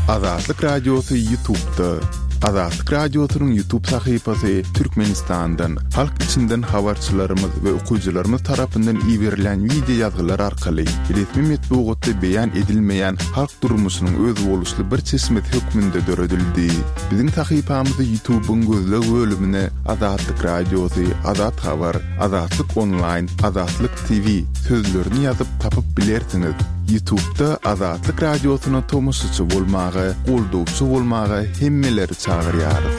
Azatlyk Radiosy Ýutubda. Azatlyk Radiosynyň Ýutub sahypasy Türkmenistandan, halk içinden habarçylarymyz we okyjylarymyz tarapyndan iberilýän wideo ýazgylar arkaly resmi metbugatda beýan edilmeýän halk durmuşynyň özboluşly bir çeşmesi hökmünde döredildi. Biziň sahypamyzy Ýutubyň gözleg bölümine Azatlyk Radiosy, Azat Habar, Azatlyk Onlaýn, Azatlyk TV sözlerini ýazyp tapyp bilersiňiz. Ýutubda Azatlyk Radiosyna tomaşaçy bolmaga, goldawçy bolmaga hemmeleri çagyrýarys.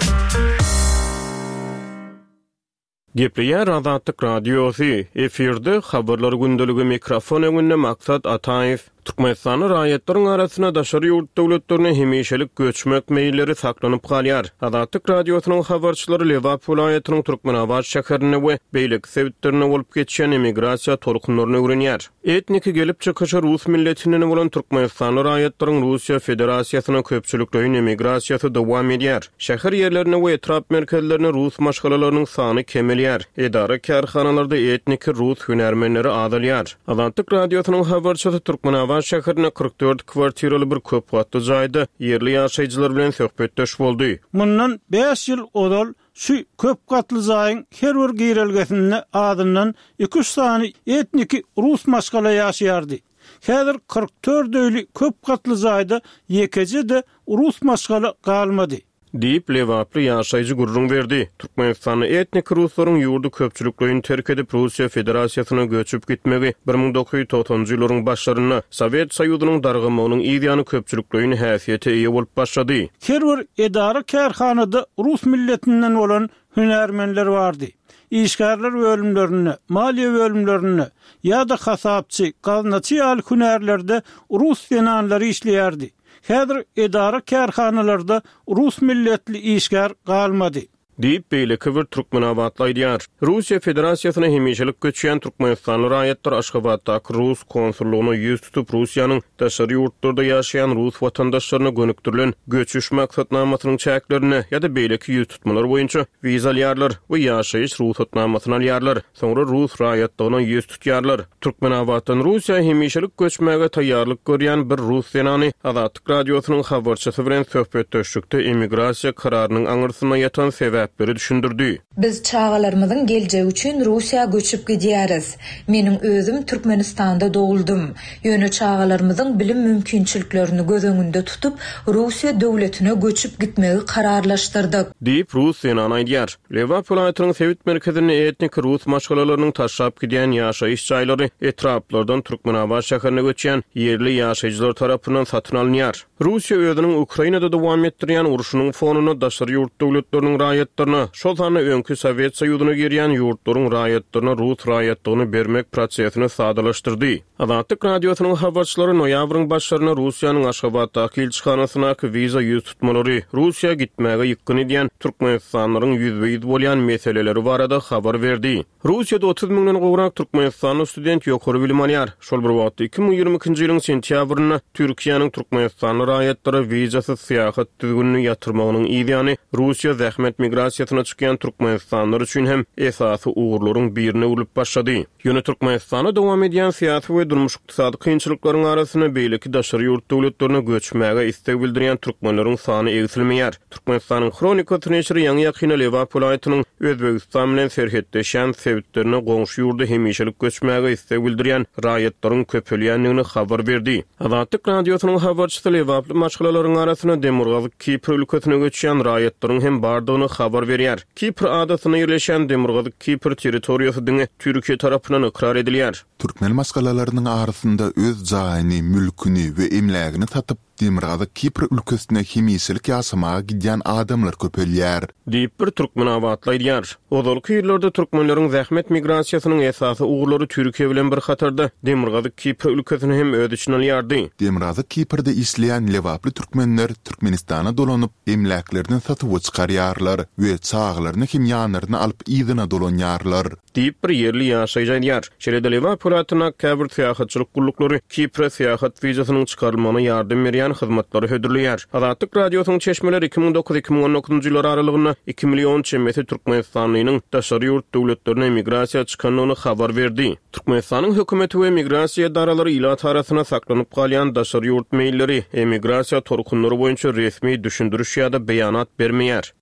Gepleýär Azatlyk Radiosy, efirde Habarlar gündeligi mikrofon öňünde Maksat Ataýew. Türkmenistanda raýatlaryň arasynda daşary ýurt döwletlerine hemişelik göçmek meýilleri saklanyp galýar. Azatlyk Radiosynyň habarçylary Lebap welaýatynyň Türkmenabat şäherinde we beýleki sebitlerinde bolup geçýän emigrasiýa tolkunlaryny öwrenýär. Etniki gelip çykyşy rus milletinden bolan türkmenistanly raýatlaryň Russiýa Federasiýasyna köpçülikleýin emigrasiýasy dowam edýär. Şäher ýerlerinde we etrap merkezlerinde rus maşgalalarynyň sany kemelýär, edara-kärhanalarda etniki rus hünärmenleri azalýar. Azatlyk Radiosynyň habarçysy Türkmenabat şäherinde 44 kwartiraly bir köp gatly jaýda ýerli ýaşaýjylar bilen söhbetdeş boldy. Mundan bäş ýyl ozal şu köp gatly jaýyň her bir girelgesinde azyndan iki-üç sany etniki rus maşgala ýaşaýardy. Häzir 44 öýli köp gatly jaýda ýekeje-de rus maşgala galmady. Diýip, lebaply ýaşaýjy gürrüň berdi. Türkmenistanda etniki ruslaryň ýurdy köpçülikleýin terk edip, Russiýa Federasiýasyna göçüp gitmegi 1990-njy ýyllaryň başlarynda, Sowet Soýuzynyň dargamagynyň yz ýany köpçülikleýin häsiýete eýe bolup başlady. Her bir edara-kärhanada rus milletinden bolan hünärmenler bardy. Işgärler bölümlerinde, maliýe bölümlerinde ýa-da hasapçy, gaznaçy ýaly hünärlerde rus zenanlary işleýärdi. Häzir edara-kärhanalarda rus milletli işgär galmady. Diýip, beýleki bir türkmenabatly aýdýar. Russiýa Federasiýasyna hemişelik göçýän türkmenistanly raýatlar Aşgabatdaky rus konsullygyna ýüz tutup, Russiýanyň daşary ýurtlarda ýaşaýan rus watandaşlaryna gönükdirilen göçüş maksatnamasynyň çäklerinde ýa-da beýleki ýüztutmalar boýunça wiza alýarlar we ýaşaýyş rugsatnamasyny alýarlar. Soňra rus raýatlygyna ýüz tutýarlar. Türkmenabatdan Russiýa hemişelik göçmäge taýýarlyk görýän bir rus zenany Azatlyk Radiosynyň habarçysy bilen söhbetdeşlikde emigrasiýa kararynyň aňyrsynda ýatan sebäpleri düşündirdi. Biz çagalarymyzyň geljegi üçin Russiýa göçüp gidýäris. Meniň özüm Türkmenistanda doguldym. Ýöne çagalarymyzyň bilim mümkinçiliklerini göz öňünde tutup, Russiýa döwletine göçüp gitmegi kararlaşdyrdyk. Diýip, rus zenany aýdýar. Lebap welaýatynyň sebit merkezinde etniki rus maşgalalarynyň taşlap gidýän ýaşaýyş jaýlary etraplardan Türkmenabat şäherine göçýän ýerli ýaşaýjylar tarapyndan satyn alynýar. Russiýa özüniň Ukrainada dowam etdirýän urşunyň fonunda daşary ýurt döwletleriniň raýatlaryna, şol sanda öňki Sowet Soýuzyna girýän ýurtlaryň raýatlaryna rus raýatlygyny bermek prosesini sadalaşdyrdy. Azatlyk Radiosynyň habarçylary noýabryň başlarynda Russiýanyň Aşgabatdaky ilçihanasyndaky wiza ýüztutmalary, Russiýa gitmäge ýykgyn edýän türkmenistanlylaryň ýüzbe-ýüz bolýan meseleleri barada habar berdi. Russiýada 30 müňden gowrak türkmenistanly student ýokary bilim alýar. Şol bir wagtda, 2022-nji ýylyň sentýabrynda Türkiýäniň türkmenistanly raýatlara wizasyz syýahat düzgünini ýatyrmagynyň yzýany Russiýa zähmet migrasiýasyna çykýan türkmenistanlylar üçin hem esasy ugurlaryň birine öwrülip başlady. Ýöne Türkmenistanda dowam edýän syýasy we durmuş-ykdysady kynçylyklaryň arasynda beýleki daşary ýurt döwletlerine göçmäge isleg bildirýän türkmenleriň sany egsilmeýär. Türkmenistanyň Hronikasy neşiri ýaňy-ýakynda Lebap welaýatynyň Özbegistan bilen serhetleşýän sebitlerine goňşy ýurda hemişelik göçmäge isleg bildirýän raýatlaryň köpelýändigini habar berdi. Azatlyk Radiosynyň habarçysy lebaply maşgalalaryň arasynda Demirgazyk Kipr ülkesine göçýän raýatlaryň hem bardygyny habar berýär. Kipr adasynda ýerleşýän Demirgazyk Kipr territoriýasy diňe Türkiýe tarapyndan ykrar edilýär. Türkmen maşgalalarynyň arasynda öz jaýyny, mülküni we emlägini satyp, Demirgazyk Kipr ülkesine hemişelik ýaşamaga gidýän adamlar köpelýär. Diýip, bir türkmenabatly aýdýar. Ozalky ýyllarda türkmenleriň zähmet migrasiýasynyň esasy ugurlary Türkiýe bilen bir hatarda Demirgazyk Kipr ülkesini hem öz içine alýardy. Demirgazyk Kiprde işleýän lebaply türkmenler Türkmenistana dolanyp, emläklerini satuwa çykarýarlar we çagalaryny hem ýanlaryna alyp yzyna dolanýarlar. Diýip, bir ýerli ýaşaýjy aýdýar. Şeýle-de Lebap welaýatyndaky käbir syýahatçylyk gulluklary Kipre syýahat wizasynyň çykarylmagyna ýardam berýän. edilýän hyzmatlary hödürleýär. Azatlyk Radiosynyň çeşmeleri 2009, 2019-njy ýyllar aralygynda iki million çemesi türkmenistanlynyň daşary ýurt döwletlerine migrasiýa çykandygyny habar berdi. Türkmenistanyň hökümeti we migrasiýa edaralary ilat arasynda saklanyp galýan daşary ýurt meýilleri, emigrasiýa tolkunlary boýunça resmi düşündiriş ýa-da beýanat bermeýär.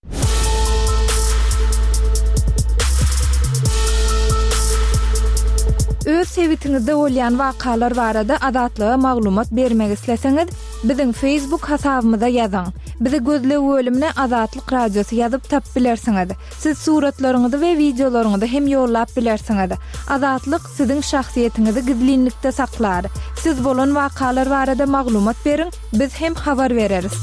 Öz sebitiňizde bolýan wakalar barada Azatlyga maglumat bermek isleseňiz, biziň Facebook hasabymyza ýazyň. Bizi gözleg bölümine Azatlyk Radiosy ýazyp tapyp bilersiňiz. Siz suratlaryňyzy we wideolaryňyzy hem ýollap bilersiňiz. Azatlyk siziň şahsyýetiňizi gizlinlikde saklar. Siz bolan wakalar barada maglumat beriň, biz hem habar bereris.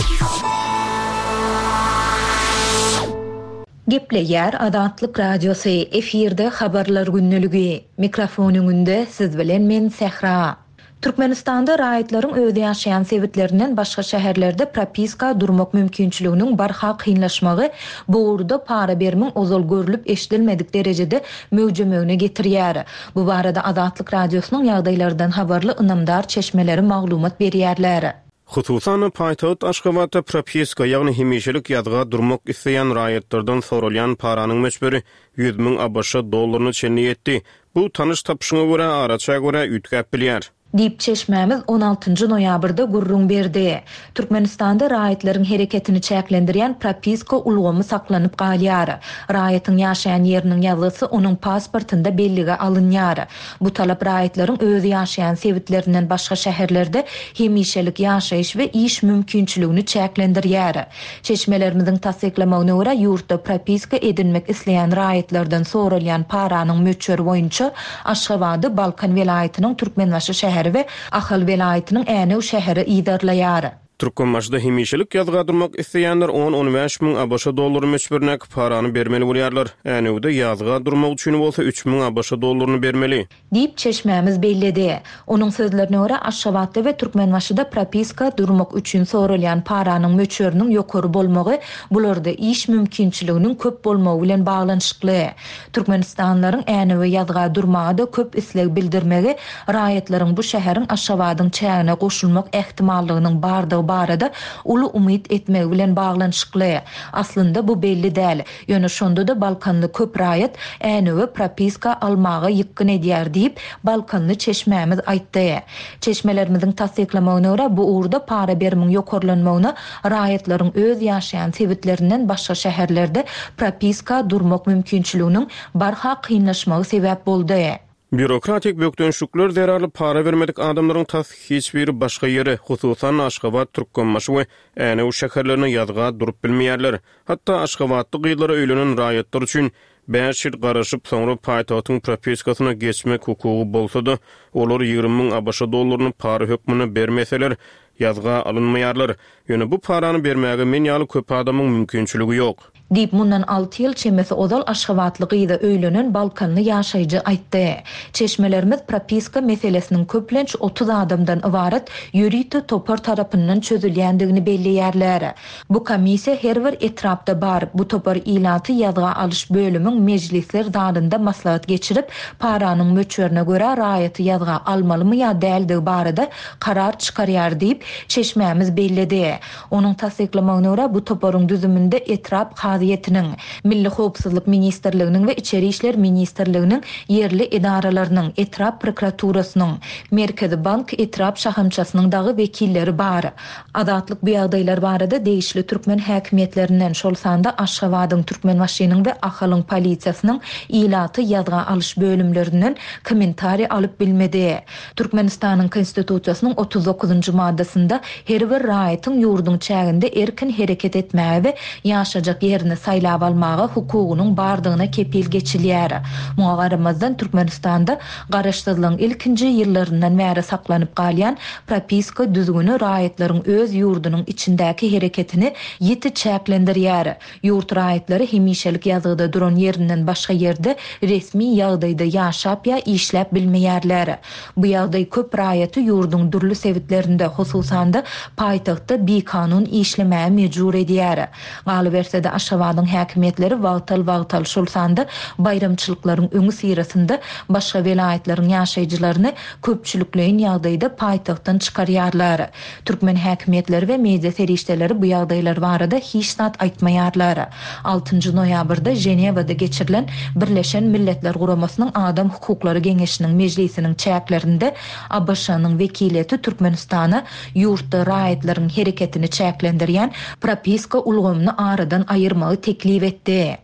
Gepleýär Azatlyk Radiosy, efirde Habarlar gündeligi. Mikrofon öňünde siz bilen men Sähra. Türkmenistanda raýatlaryň öz ýaşaýan sebitlerinden başga şäherlerde propiska durmak mümkinçiliginiň barha kynlaşmagy bu ugurda para berimiň ozal görlüp-eşidilmedik derejede möwjemegine getirýär. Bu barada Azatlyk Radiosynyň ýagdaýlardan habarly ynamdar çeşmeleri maglumat berýärler. Hususan-da, paýtagt Aşgabatda propiska, ýagny hemişelik ýazga durmak isleýän raýatlardan soralýan paranyň möçberi 100 müň ABŞ dollaryna çenli ýetdi. Bu tanyş-tapyşyňa görä, araça görä üýtgäp bilýär. Diýip, çeşmämiz on altynjy noýabrda gürrüň berdi. Türkmenistanda raýatlaryň hereketini çäklendirýän propiska ulgamy saklanyp galýar. Raýatyň ýaşaýan ýeriniň ýazgysy onuň pasportynda bellige alynýar. Bu talap raýatlaryň öz ýaşaýan sebitlerinden başga şäherlerde hemişelik ýaşaýyş we iş mümkinçiligini çäklendirýär. Çeşmelerimiziň tassyklamagyna görä, ýurtda propiska edinmek isleýän raýatlardan soralýan paranyň möçberi boýunça Aşgabady Balkan welaýatynyň Türkmenbaşy şäheri we Ahal welaýatynyň Änew şäheri yzarlaýar. Türkmenbaşyda hemişelik ýazga durmak isleýänler on-on bäş müň ABŞ dollary möçberindäki parany bermeli bolýarlar. Änewde ýazga durmak üçin bolsa üç müň ABŞ dollaryny bermeli. Diýip, çeşmämiz belledi. Onuň sözlerine görä, Aşgabatda we Türkmenbaşyda propiska durmak üçin soralýan paranyň möçberiniň ýokary bolmagy bularda iş mümkinçiliginiň köp bolmagy bilen baglanyşykly. Türkmenistanlylaryň Änewe ýazga durmaga-da köp isleg bildirmegi raýatlaryň bu şäheriň Aşgabadyň çägine goşulmak ähtimallygynyň bardygy barada uly umyt etmegi bilen baglanyşykly. Aslynda bu belli däl. Ýöne şonda-da balkanly köp raýat Änewe propiska almaga ýykgyn edýär diýip, balkanly çeşmämiz aýtdy. Çeşmelerimiziň tassyklamagyna görä, bu ugurda para berimiň ýokarlanmagyna raýatlaryň öz ýaşaýan sebitlerinden başga şäherlerde propiska durmak mümkinçiliginiň barha kynlaşmagy sebäp boldy. Býurokratik bökdençlikler zerarly para bermedik adamlaryň tas hiç biri başga ýere, hususan-da Aşgabat, Türkmenbaşy we Änew şäherlerine ýazga durup bilmeýärler. Hatda aşgabatly gyzlara öýlenen raýatlar üçin bäş ýyl garaşyp, soňra paýtagtyň propiskasyna geçmek hukugy bolsa-da, olar 20 müň ABŞ dollaryny para hökmünde bermeseler, ýazga alynmaýarlar. Ýöne bu parany bermäge men ýaly köp adamyň mümkinçiligi ýok. Diýip, mundan alty ýyl çemesi ozal aşgabatly gyza öýlenen balkanly ýaşaýjy aýtdy. Çeşmelerimiz propiska meselesiniň köplenç 30 adamdan ybarat ýörite topar tarapyndan çözülýändigini belleýärler. Bu komissiýa her bir etrapda bar. Bu topar ilaty ýazga alyş bölümiň mejlisler zalynda maslahat geçirip, paranyň möçberine görä raýaty ýazga almalymy ýa däldigi barada karar çykarýar diýip, çeşmämiz belledi. Onuň tassyklamagyna görä, bu toparyň düzüminde etrap kazyýetiniň, Milli howpsuzlyk ministrliginiň we Içeri işler ministrliginiň ýerli edaralarynyň, etrap prokuraturasynyň, Merkezi bank etrap şahamçasynyň dagy wekilleri bar. Azatlyk bu ýagdaýlar barada degişli türkmen häkimiýetlerinden, şol sanda Aşgabadyň, Türkmenbaşynyň we Ahalyň polisiýasynyň ilaty ýazga alyş bölümlerinden kommentariý alyp bilmedi. Türkmenistanyň Konstitusiýasynyň 39-njy maddasynda her bir raýatyň ýurduň çäginde erkin hereket etmäge we ýaşajak ýerini saýlap almaga hukugynyň bardygyna kepil geçilýär. Muňa garamazdan, Türkmenistanda Garaşsyzlygyň ilkinji ýyllaryndan bäri saklanyp galýan propiska düzgüni raýatlaryň öz ýurdunyň içindäki hereketini ýiti çäklendirýär. Ýurt raýatlary hemişelik ýazgyda duran ýerinden başga ýerde resmi ýagdaýda ýaşap ýa işläp bilmeýärler. Bu ýagdaý köp raýaty ýurduň dürli sebitlerinde, hususan-da, paýtagtda bikanun işlemäge mejbur edýär. Galyberse-de, Aşgabat. Aşgabadyň häkimiýetleri wagtal-wagtal, şol sanda baýramçylyklaryň öňüsyrasynda başga welaýatlaryň ýaşaýjylaryny köpçülikleýin ýagdaýda paýtagtdan çykarýarlar. Türkmen häkimiýetleri we media serişdeleri bu ýagdaýlar barada hiç zat aýtmaýarlar. Altynjy noýabrda Ženewada geçirilen Birleşen Milletler Guramasynyň Adam hukuklary geňeşiniň mejlisiniň çäklerinde ABŞ-nyň wekiliýeti Türkmenistana ýurtda raýatlaryň hereketini çäklendirýän propiska ulgamyny aradan aýyrmagy teklip etdi.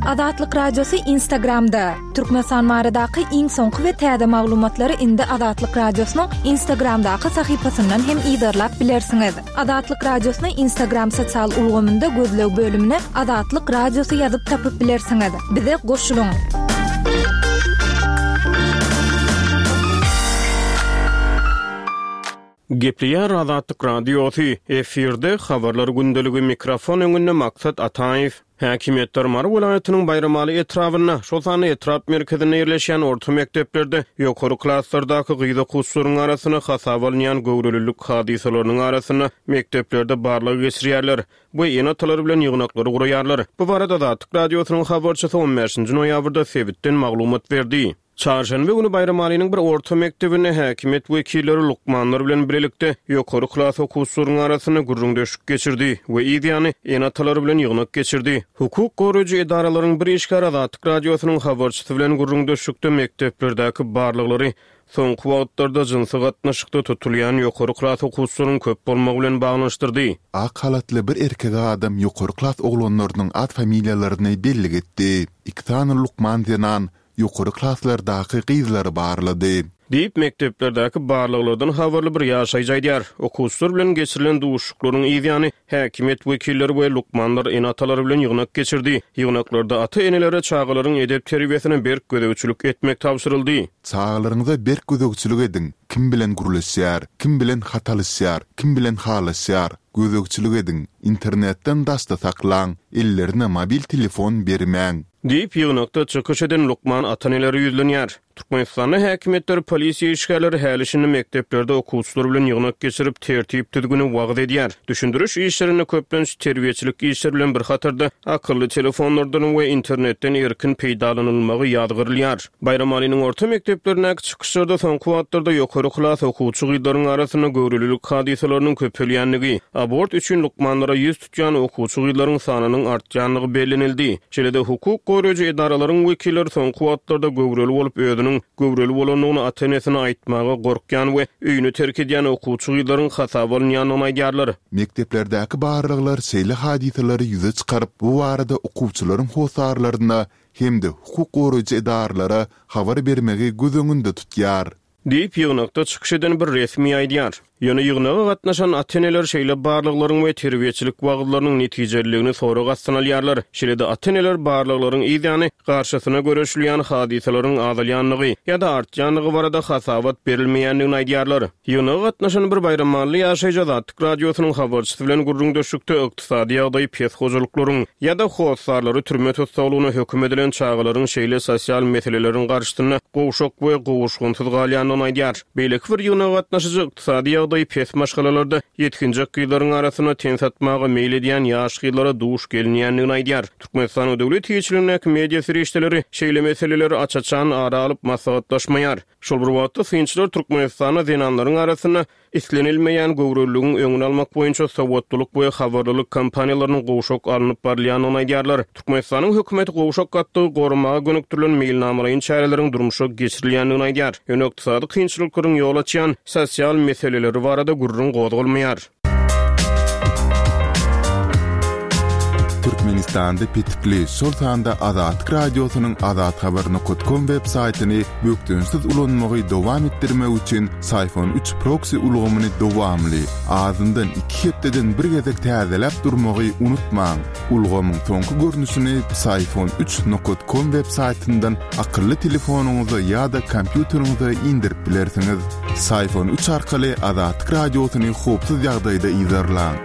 Azatlyk Radiosy Instagramda, Türkmenistan baradaky iň soňky we täze maglumatlary indi Azatlyk Radiosynyň Instagramdaky sahypasyndan hem yzarlap bilersiňiz. Azatlyk Radiosyny Instagram sosial ulgamynda gözleg bölümine Azatlyk Radiosy ýazyp tapyp bilersiňiz. Bize goşulyň! Gepleýär Azatlyk Radiosy, efirde Habarlar gündeligi, mikrofon öňünde Maksat Ataýew. Häkimiýetler Mary welaýatynyň Baýramaly etrabynda, şol sanda etrap merkezinde ýerleşýän orta mekdeplerde ýokary klaslardaky gyz okuwçylaryň arasynda hasaba alynýan göwrelilik hadysalarynyň arasynda mekdeplerde barlag geçirýärler we ene-atalar bilen ýygnaklary guraýarlar. Bu barada Azatlyk Radiosynyň habarçysy on bäşinji noýabrda sebitden maglumat berdi. Çarşenbe güni Baýramalynyň bir orta mekdebinde häkimiýet wekilleri lukmanlar bilen bilelikde ýokary klas okuwçylaryň arasynda gürrüňdeşlik geçirdi we yz ýany ene-atalary bilen ýygnak geçirdi. Hukuk goraýjy edaralaryň bir işgäri Azatlyk Radiosynyň habarçysy bilen gürrüňdeşlikde mekdeplerdäki barlaglary soňky wagtlarda jynsy gatnaşykda tutulýan ýokary klas okuwçylaryň köp bolmagy bilen baglanyşdyrdy. Ak halatly bir erkek adam ýokary klas oglanlarynyň at-familiýalaryny bellik etdi. Iki sany lukman zenan ýokary klaslardaky gyzlary barlady. Diýip, mekdeplerdäki barlaglardan habarly bir ýaşaýjy aýdýar. Okuwçylar bilen geçirilen duşuşyklaryň yz ýany, häkimiýet wekilleri we lukmanlar ene-atalary bilen ýygnak geçirdi. Ýygnaklarda ata-enelere çagalaryň edep-terbiýesine berk gözegçilik etmek tabşyryldy. Çagalaryňyza berk gözegçilik ediň, kim bilen gürleşýär, kim bilen hat alyşýar, kim bilen halaşýar, gözegçilik ediň, internetden daşda saklaň, ellerine mobil telefon bermäň. Diýip, ýygnakda çykyş eden lukman ata-enelere ýüzlenýär. Türkmenistanda häkimiýetler, polisiýa işgärleri häli-şindi mekdeplerde okuwçylar bilen ýygnak geçirip, tertip-düzgüni wagyz edýär. Düşündiriş işlerinde köplenç terbiýeçilik işleri bilen bir hatarda akylly telefonlardan we internetden erkin peýdalanylmagy ýazgarylýar. Baýramalynyň orta mekdeplerindäki çykyşlarda soňky wagtlarda ýokary klas okuwçy gyzlaryň arasynda göwrelilik hadysalarynyň köpelýändigi, abort üçin lukmanlara ýüz tutýan okuwçy gyzlaryň sanynyň artýandygy bellenildi. Şeýle-de hukuk goraýjy edaralaryň wekilleri soňky wagtlarda göwreli bolup özüniň göwreli bolandygyny ata-enesine aýtmaga gorkýan we öýüni terk edýän okuwçy gyzlaryň hasaba alynýandygyny aýdýarlar. Mekdeplerdäki barlaglar şeýle hadysalary ýüze çykaryp, bu barada okuwçylaryň hossarlaryna hem-de hukuk goraýjy edaralara habar bermegi göz öňünde tutýar. Diýip, ýygnakda çykyş eden bir resmi aýdýar. Ýöne ýygnaga gatnaşan ata-eneler şeýle barlaglaryň we terbiýeçilik wagyzlarynyň netijeliligini sorag astyna alýarlar. Şeýle-de ata-eneler barlaglaryň yz ýany garşysyna göreşilýän hadysalaryň azalýandygy ýa-da artýandygy barada hasabat berilmeýändigini aýdýarlar. Ýygnaga gatnaşan bir baýramally ýaşaýjy Azatlyk Radiosynyň habarçysy bilen gürrüňdeşlikde ykdysady ýagdaýy pes hojalyklaryň ýa-da hossarlary türme tussaglygyna höküm edilen çagalaryň şeýle sosial meseleleriň garşysynda gowşak we gowuşgynsyz galýandygyny aýdýar. Beýleki bir ýygnaga gatnaşyjy ykdysady ýagdaýy pes maşgalalarda ýetginjek gyzlaryň arasynda ten satmaga meýil edýän ýaş gyzlara duş gelinýändigini aýdýar. Türkmenistanyň döwlet eýeçiligindäki media serişdeleri şeýle meseleleri aç-açan ara alyp maslahatlaşmaýar. Şol bir wagtda, synçylar Türkmenistanda zenanlaryň arasynda islenilmeýän göwreliligiň öňüni almak boýunça sowatlylyk we habarlylyk kampaniýalarynyň gowşak alnyp barylýandygyny aýdýarlar. Türkmenistanyň hökümeti gowşak gatlagy goramaga gönükdirilen meýilnamalaýyn çäreleriň durmuşa geçirilýändigini aýdýar. Ýöne ykdysady kynçylyklaryň ýol açýan sosial meseleleri barada gürrüň gozgalmaýar. Türkmenistanda petikli, şol sanda Azatlyk Radiosynyň azathabar nokat kom web saýtyny bökdençsiz ulanmagy dowam etdirmek üçin Syfon üç proksi ulgamyny dowamly, azyndan iki hepdeden bir gezek täzeläp durmagy unutmaň. Ulgamyň soňky görnüşini Psiphon üç nokat kom web saýtyndan akylly telefonyňyza ýa-da kompýuteriňize indirip bilersiňiz. Psiphon üç arkaly Azatlyk Radiosyny howpsuz ýagdaýda yzarlaň.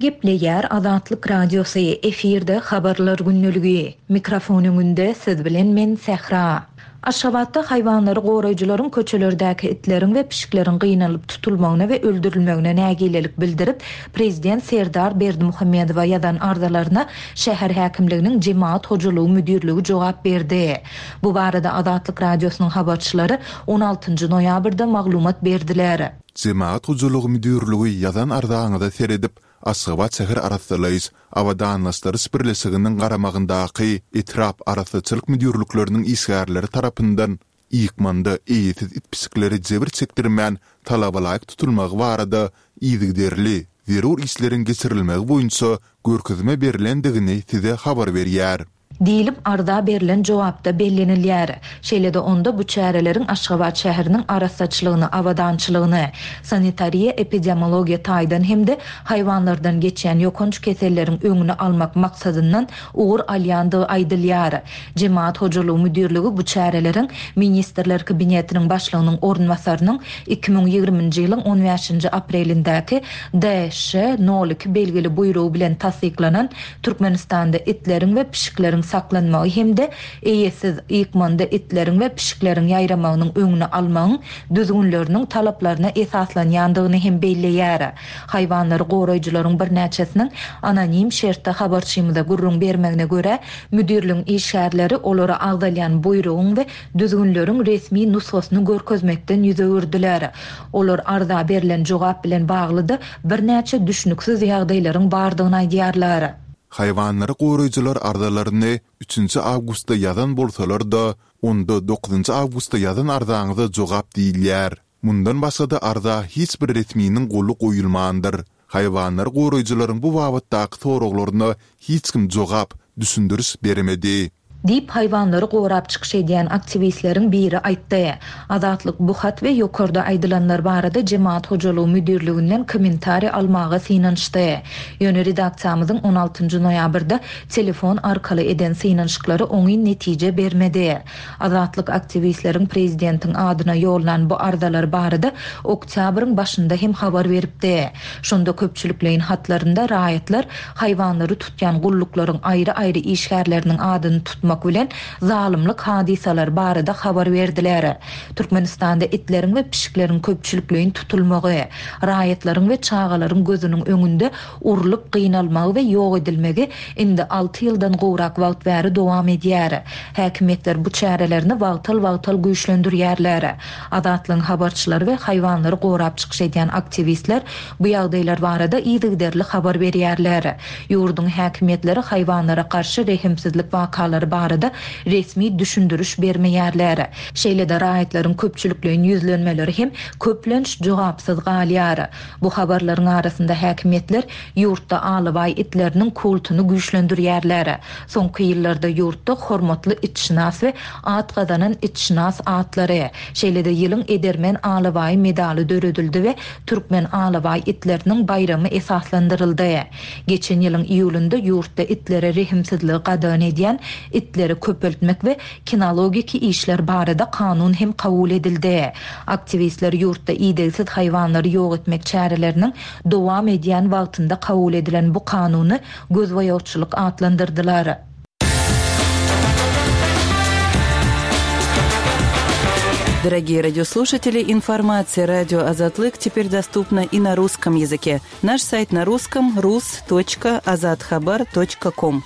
Gepleýär Azatlyk Radiosy, efirde Habarlar gündeligi. Mikrofon öňünde siz bilen men Sähra. Aşgabatda haýwanlary goraýjylaryň köçelerdäki itleriň we pişikleriň gynalyp tutulmagyna we öldürilmegine nägilelik bildirip, prezident Serdar Berdimuhamedowa ýazan arzalaryna şäher häkimliginiň Jemagat hojalygy müdirligi jogap berdi. Bu barada Azatlyk Radiosynyň habarçylary on altynjy noýabrda maglumat berdiler. Jemagat hojalygy müdirligi ýazan arzaňyza seredip, Aşgabat şäher arassalaýyş, abadanlaşdyryş birleşiginiň garamagyndaky etrap arassaçylyk müdirlikleriniň işgärleri tarapyndan ykmanda eýesiz it-pişikleri jebir çekdirmän talabalaýyk tutulmagy barada yzygiderli zerur işleriň geçirilmegi boýunça görkezme berlendigini size habar berýär. Diýlip, arza berlen jogapda bellenilýär. Şeýle-de onda bu çäreleriň Aşgabat şäheriniň arassaçylygyny, abadançylygyny, sanitariýa-epidemiologiýa taýdan hem-de haýwanlardan geçýän ýokanç keselleriň öňüni almak maksadyndan ugur alýandygy aýdylýar. Jemagat hojalygy müdirligi bu çäreleriň Ministrler Kabinetiniň Başlygynyň orunbasarynyň 2020-nji ýylyň on bäşinji aprelindäki DŞ nol iki belgili buýrugy bilen tassyklanan Türkmenistanda itleriň we pişikleriň saklanmagy hem-de eýesiz, ykmanda itleriň we pişikleriň ýaýramagynyň öňüni almagyň düzgünleriniň talaplaryna esaslanýandygyny hem belleýär. Haýwanlary goraýjylaryň birnäçesiniň anonim şertde habarçymyza gürrüň bermegine görä, müdirligiň işgärleri olara agzalýan buýrugyň we düzgünleriň resmi nusgasyny görkezmekden ýüz öwürdiler. Olar arza berlen jogap bilen bagly-da birnäçe düşnüksiz ýagdaýlaryň bardygyny aýdýarlar. Haýwanlary goraýjylar arzalaryny üçünji awgustda ýazan bolsalar-da, onda dokuzynjy awgustda ýazan arzaňyza jogap diýilýär. Mundan başga-da arza hiç bir resminiň goly goýulmandyr. Haýwanlary goraýjylaryň bu babatdaky soraglaryna hiç kim jogap, düşündiriş bermedi. Diýip, haýwanlary gorap çykyş edýän aktiwistleriň biri aýtdy. Azatlyk bu hat we ýokarda aýdylanlar barada Jemagat hojalygy müdirliginden kommentariý almaga synanyşdy. Ýöne redaksiýamyzyň on altynjy noýabrda telefon arkaly eden synanyşyklary oňyn netije bermedi. Azatlyk aktiwistleriň prezidentiň adyna ýollan bu arzalary barada oktýabryň başynda hem habar beripdi. Şonda köpçülikleýin hatlarynda raýatlar haýwanlary tutýan gulluklaryň aýry-aýry işgärleriniň adyny tutmak bilen, zalymlyk hadysalary barada habar berdiler. Türkmenistanda itleriň we pişikleriň köpçülikleýin tutulmagy, raýatlaryň we çagalaryň gözüniň öňünde urlup gynalmagy we ýok edilmegi indi alty ýyldan gowrak wagt bäri dowam edýär. Häkimiýetler bu çärelerini wagtal-wagtal güýçlendirýärler. Azatlygyň habarçylary we haýwanlary gorap çykyş edýän aktiwistler bu ýagdaýlar barada yzygiderli habar berýärler. Ýurduň häkimiýetleri haýwanlara garşy rehimsizlik wakalary barada resmi düşündiriş bermeýärler. Şeýle-de raýatlaryň köpçülikleýin ýüzlenmeleri hem köplenç jogapsyz galýar. Bu habarlaryň arasynda häkimiýetler ýurtda alabaý itleriniň kultuny güýçlendirýärler. Soňky ýyllarda ýurtda hormatly itşynas we at gazanan itşynas atlary, şeýle-de ýylyň edermen alabaýy medaly döredildi we türkmen alabaý itleriniň baýramy esaslandyryldy. Geçen ýylyň iýulynda ýurtda itlere rehimsizligi gadagan edýän itleri köpeltmek we kinologiki işler barada kanun hem kabul edildi. Aktiwistler ýurtda idegsiz haýwanlary ýok etmek çäreleriniň dowam edýän wagtynda kabul edilen bu kanuny gözboýagçylyk atlandyrdylar. Дорогие радиослушатели, информация радио Азатлык теперь доступна и на русском языке. Наш сайт на русском rus.azathabar.com.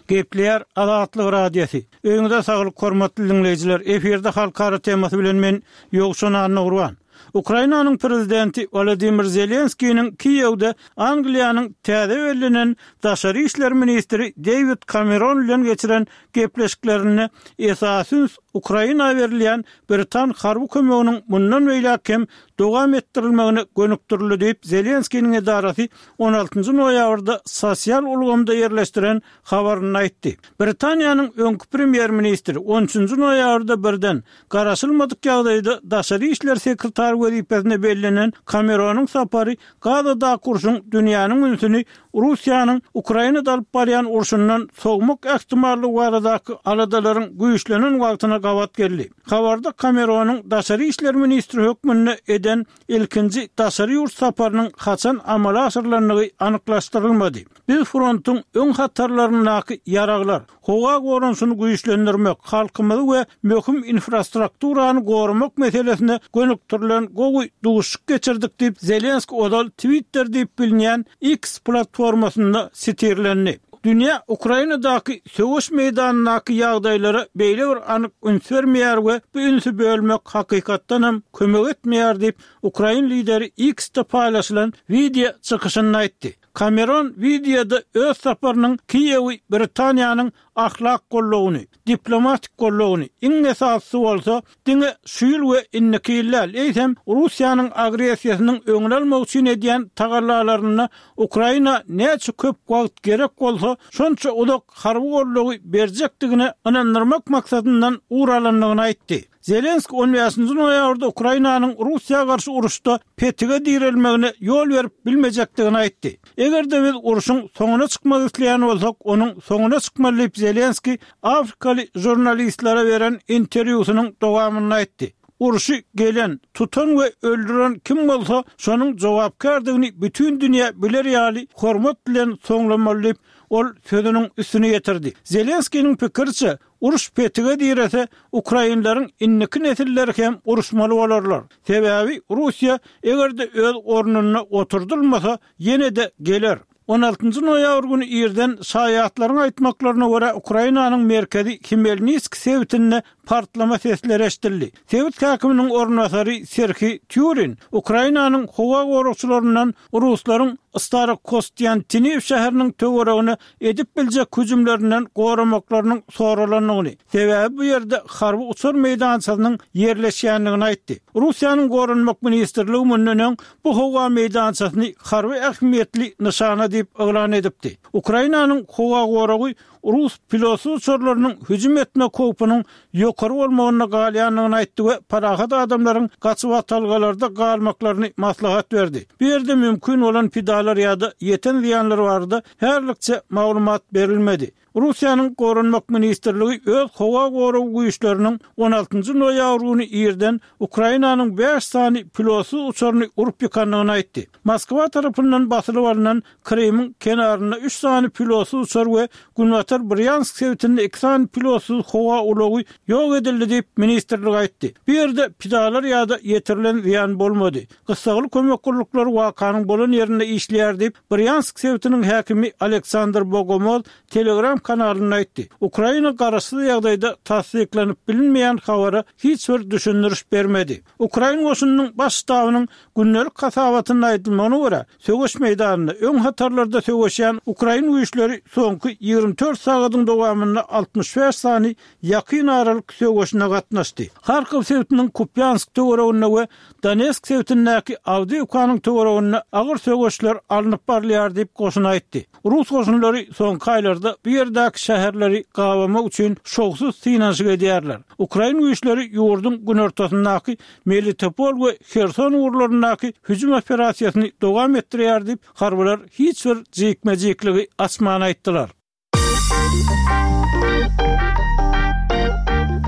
Gepleýär Azatlyk Radiosy. Öýüňize saglyk hormatly diňleýjiler. Efirde halkara temasy bilen men Ýowşan Annagurban. Ukrainanyň prezidenti Wolodymyr Zelenskiniň Kiýewde Angliýanyň täze bellenen daşary işler ministri Deýwid Kameron bilen geçiren gepleşiklerinde esasy üns Ukraina berilýän britan harby kömeginiň mundan beýläk hem dowam etdirilmegine gönükdirildi diýip, Zelenskiniň edarasy on altynjy noýabrda sosial ulgamda ýerleşdiren habarynda aýtdy. Britaniýanyň öňki premýer-ministri on üçünji noýabrda birden Garaşylmadyk ýagdaýda daşary işler sekretary wezipesine bellenen Kameronyň sapary Gazadaky urşuň dünýäniň ünsüni Russiýanyň Ukrainada alyp barýan urşundan sowmak ähtimallygy baradaky aladalaryň güýçlenen wagtyna gabat geldi. gabat geldi. Habarda Kameronyň daşary işler ministri hökmünde eden ilkinji daşary ýurt saparynyň haçan amala aşyrylandygy anyklaşdyrylmady. Biz frontuň öň hatarlaryndaky ýaraglar, howa goranyşyny güýçlendirmek, halkymyzy we möhüm infrastrukturany goramak meselesine gönükdirilen gowy duşuşyk geçirdik diýip, Zelenski ozal Twitter diýip bilinýän X platformasynda sitirlendi. Dünýä Ukrainadaky söweş meýdanyndaky ýagdaýlara beýle bir anyk üns bermeýär we bu ünsi bölmek hakykatdanam kömek etmeýär diýip, ukrain lideri X-de paýlaşylan wideo çykyşynda aýtdy. Kameron wideoda öz saparynyň Kiýewi Britaniýanyň ahlak goldawyny, diplomatik goldawyny, iň esasysy bolsa, diňe şu ýyl we indiki ýyl däl, eýsem, Russiýanyň agressiýasynyň öňüni almak üçin edýän tagallalarynda Ukraina näçe köp wagt gerek bolsa, şonça uzak harby goldawy berjekdigine ynandyrmak maksadyndan ugur alandygyny aýtdy. Zelenski on bäşinji noýabrda Ukrainanyň Russiýa garşy uruşda petige direlmegine ýol berip bilmejekdigini aýtdy. Eger-de biz urşuň soňuna çykmak isleýän bolsak, onuň soňuna çykmaly diýip, Zelenski afrikaly žurnalistlere beren interwýusynyň dowamynda aýtdy. Urşy gelen, tutan we öldüren kim bolsa, şonuň jogapkärdigini bütin dünýä biler ýaly hormat bilen soňlamaly diýip, ol sözüniň üstüni ýetirdi. Zelenskiniň pikiriçe, Uruş petige direse, ukrainleriň indiki nesilleri hem uruşmaly bolarlar. Sebäbi Russiýa eger-de öz ornunda oturdylmasa, ýene-de geler. On altynjy noýabr güni irden şaýatlaryň aýtmaklaryna görä, Ukrainanyň merkezi Hmelnitsk sebitinde partlama sesleri eşidildi. Sebit häkiminiň orunbasary Serhiý Týurin Ukrainanyň howa goragçylaryndan ruslaryň Starokostýantiniw şäheriniň töweregine edip biljek hüjümlerinden goramaklarynyň soralandygyny, sebäbi bu ýerde harby uçar meýdançasynyň ýerleşýändigini aýtdy. Russiýanyň Goranmak ministrligi mundan öň bu howa meýdançasyny harby ähmiýetli nyşana diýip yglan edipdi. Ukrainanyň howa goragy rus pilotsyz uçarlarynyň hüjüm etmek howpunyň ýokary bolmagynda galýandygyny aýtdy we parahat adamlaryň gaçybatalgalarda galmaklaryny maslahat berdi. Bu ýerde mümkin bolan pidalar ýa-da ýeten zyýanlar barada häzirlikçe maglumat berilmedi. Russiýanyň Goranmak ministrligi öz howa goragy güýçleriniň on altynjy noýabr güni irden Ukrainanyň bäş sany pilotsyz uçaryny urup ýykandygyny aýtdy. Moskwa tarapyndan basylyp alnan Krymyň kenarynda üç sany pilotsyz uçar we Günbatar Brýansk sebitinde iki sany pilotsyz howa ulagy ýok edildi diýip, ministrlik aýtdy. Bu ýerde pidalar ýa-da ýetirilen zyýan bolmady. Gyssagly kömek gulluklary wakanyň bolan ýerinde işleýär diýip, Brýansk sebitiniň häkimi Aleksandr Bogomoz Telegram kanalynda aýtdy. Ukraina garaşsyz ýagdaýda tassyklanyp bilinmeýän habara hiç bir düşündiriş bermedi. Ukrain goşunynyň Baş ştabynyň gündelik hasabatynda aýdylmagyna görä, söweş meýdanynda öň hatarlarda söweşýän ukrain güýçleri soňky 24 sagadyň dowamynda 65 sany ýakyn aralyk söweşine gatnaşdy. Harkow sebitiniň Kupýansk töwereginde we Donetsk sebitindäki Awdiýewkanyň töwereginde agyr söweşler alnyp barylýar diýip, goşun aýtdy. Rus goşunlary soňky aýlarda bu ýerdäki şäherleri gabamak üçin şowsuz synanyşyk edýärler. Ukrain güýçleri ýurduň günortasyndaky Melitopol we Herson ugurlaryndaky hüjüm operasiýasyny dowam etdirýär diýip, harbylar hiç bir jikme-jikligi açman aýtdylar.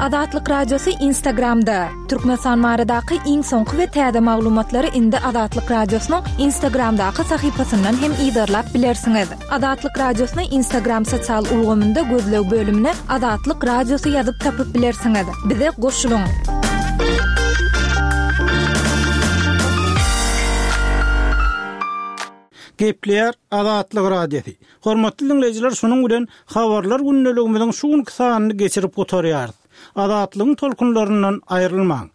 Azatlyk Radiosy Instagramda, Türkmenistan baradaky iň soňky we täze maglumatlary indi Azatlyk Radiosynyň Instagramdaky sahypasyndan hem yzarlap bilersiňiz. Azatlyk Radiosyny Instagram sosial ulgamynda gözleg bölümine Azatlyk Radiosy ýazyp tapyp bilersiňiz. Bize goşulyň! Gepleýär Azatlyk Radiosy. Hormatly diňleýjiler şunuň bilen Habarlar gündeligimiziň şu günki sanyny geçirip gutarýarys. Azatlygyň tolkunlaryndan aýrylmaň.